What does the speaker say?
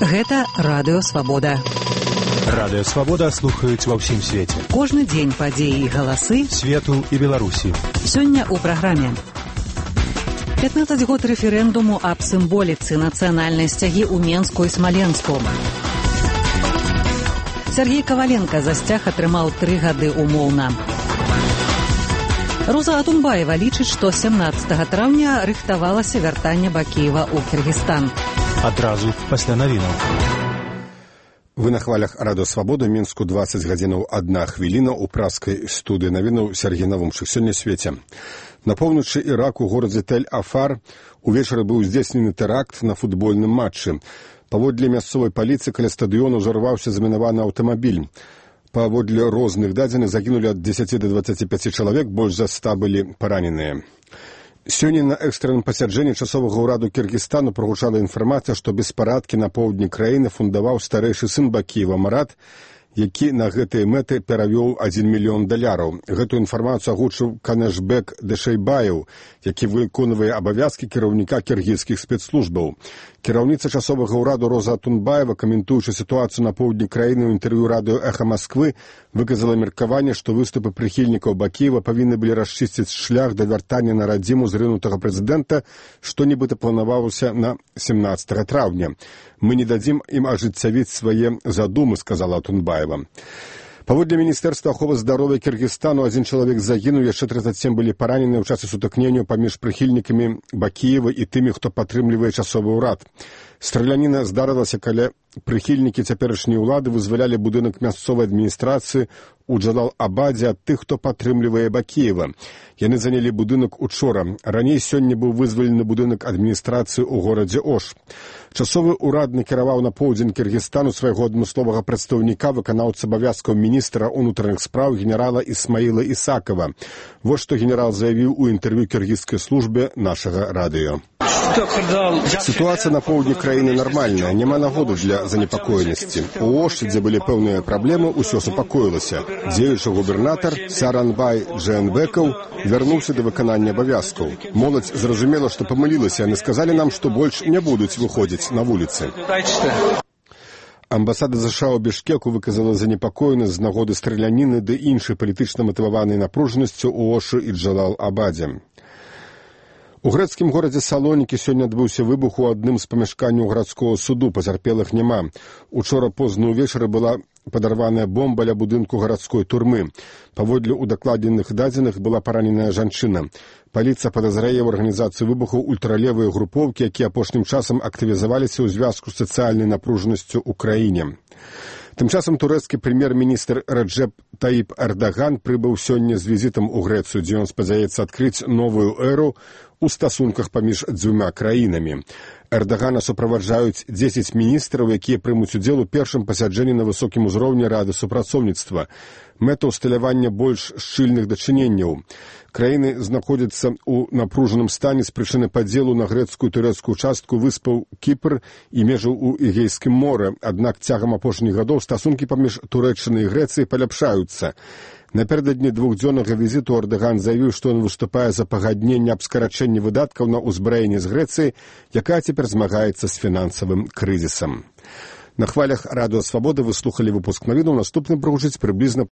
Гэта Радыё Свабода. Радыё Свабода слухаюць ва ўсім свеце. Кожны дзень падзеі і галасы свету і Беларусі. Сёння ў праграме. 15 год рэферэндуму аб сімволіцы нацыянальнай сцягі ў Менску і Смаленску. Сергей Коваленко за сцяг атрымаў 3 гады умоўна. Роза Атунбаева лічыць, што 17 траўня рыхтавалася вяртанне Бакіева ў Кыргызстан. Адразу пасля навінаў. Вы на хвалях Радыё Свабода, Мінску 20 гадзінаў 1 хвіліна ў праскай студыі навінаў Сергей Навумчык. Сёння свеце. На поўначы Іраку, у горадзе Тель-Афар, увечары быў здзейснены тэракт на футбольным матчы. Паводле мясцовай паліцыі каля стадыёну ўзарваўся замінаваны аўтамабіль. Паводле розных дадзеных загінулі ад 10 до 25 чалавек, больш за 100 былі параненыя. Сёння на экстранным пасяджэнні часовага ўраду Кыргызстану прагучала інфармацыя, што беспарадкі на поўдні краіны фундаваў старэйшы сын Бакіева Марат, які на гэтыя мэты перавёў $1 мільён. Гэтую інфармацыю агучыў Канешбек Дэшэйбаев, які выконвае абавязкі кіраўніка кіргізскіх спецслужбаў. Кіраўніца часовага ўраду Роза Атунбаева, каментуючы сітуацыю на поўдні краіны ў інтэрв'ю радыё «Эхо Москвы», выказала меркаванне, што выступы прыхільнікаў Бакіева павінны былі расчысціць шлях да вяртання на радзіму зрынутага прэзідэнта, што нібыта планавалася на 17 траўня. «Мы не дадзім ім ажыццявіць свае задумы», сказала Атунбаева. Паводле Міністэрства аховы здароўя Кыргызстану 1 чалавек загінуў, яшчэ 37 былі параненыя ў часе сутыкнення паміж прыхільнікамі Бакіева і тымі, хто падтрымлівае часовы ўрад. Страляніна здарылася, каля прыхільнікі цяперашняй улады вызвалялі будынак мясцовай адміністрацыі ў Джалал-Абадзе ад тых, хто падтрымлівае Бакіева. Яны занялі будынак учора. Раней сёння быў вызвалены будынак адміністрацыі ў горадзе Ош. Часовы ўрад накіраваў на поўдзень Кыргызстану свайго адмысловага прадстаўніка, выканаўца абавязкаў міністра ўнутраных спраў генерала Исмаіла Исакова. Вось што генерал заявіў у інтэрв'ю кіргізскай службе нашага радыё. Ситуация на поўдні краіны нармальная, няма нагоды для занепакоенасці. У Оші, дзе былі пэўныя праблемы, усё супакоілася. Дзеючы губернатар Саранбай Джээнбекаў вярнуўся да выканання абавязкаў. Моладзь зразумела, што памылілася, яны сказалі нам, што больш не будуць выходзіць на вуліцы. Амбасада США ў Бішкеку выказала занепакоенасць з нагоды страляніны ды іншай палітычна матываванай напружанасцю ў Ошы і Джалал-Абадзе. У грэцкім горадзе Салонікі сёння адбыўся выбух у адным з памяшканняў гарадскога суду, пацярпелых няма. Учора позна ўвечары была падарваная бомба ля будынку гарадской турмы. Паводле удакладзеных дадзеных была параненая жанчына. Паліцыя падазрае ў арганізацыі выбухаў ультралевыя групоўкі, якія апошнім часам актывізаваліся ў звязку з сацыяльнай напружанасцю ў краіне. Тым часам турэцкі прэм'ер-міністр Раджэп Таіп Эрдаган прыбыў сёння з візітам у Грэцыю, дзе ён спадзяецца адкрыць новую эру у стасунках паміж дзвюма краінамі. Эрдагана суправаджаюць 10 міністраў, якія прымуць удзел у першым пасяджэнні на высокім узроўні Рады супрацоўніцтва. Мэта ўсталявання больш шчыльных дачыненняў. Краіны знаходзяцца ў напружаным стане з прычыны падзелу на грэцкую і турэцкую частку выспаў Кіпр і межаў у Эгейскім моры. Аднак цягам апошніх гадоў стасункі паміж Турэччынай і Грэцыяй паляпшаюцца. Напярэдадні двухдзённага візіту Эрдаган заявіў, што ён выступае за пагадненне аб скарачэнні выдаткаў на ўзбраенне з Грэцыяй, якая цяпер змагаецца з фінансавым крызісам. На хвалях Радыё Свабода вы слухалі выпуск навінаў, наступны прагучыць прыблізна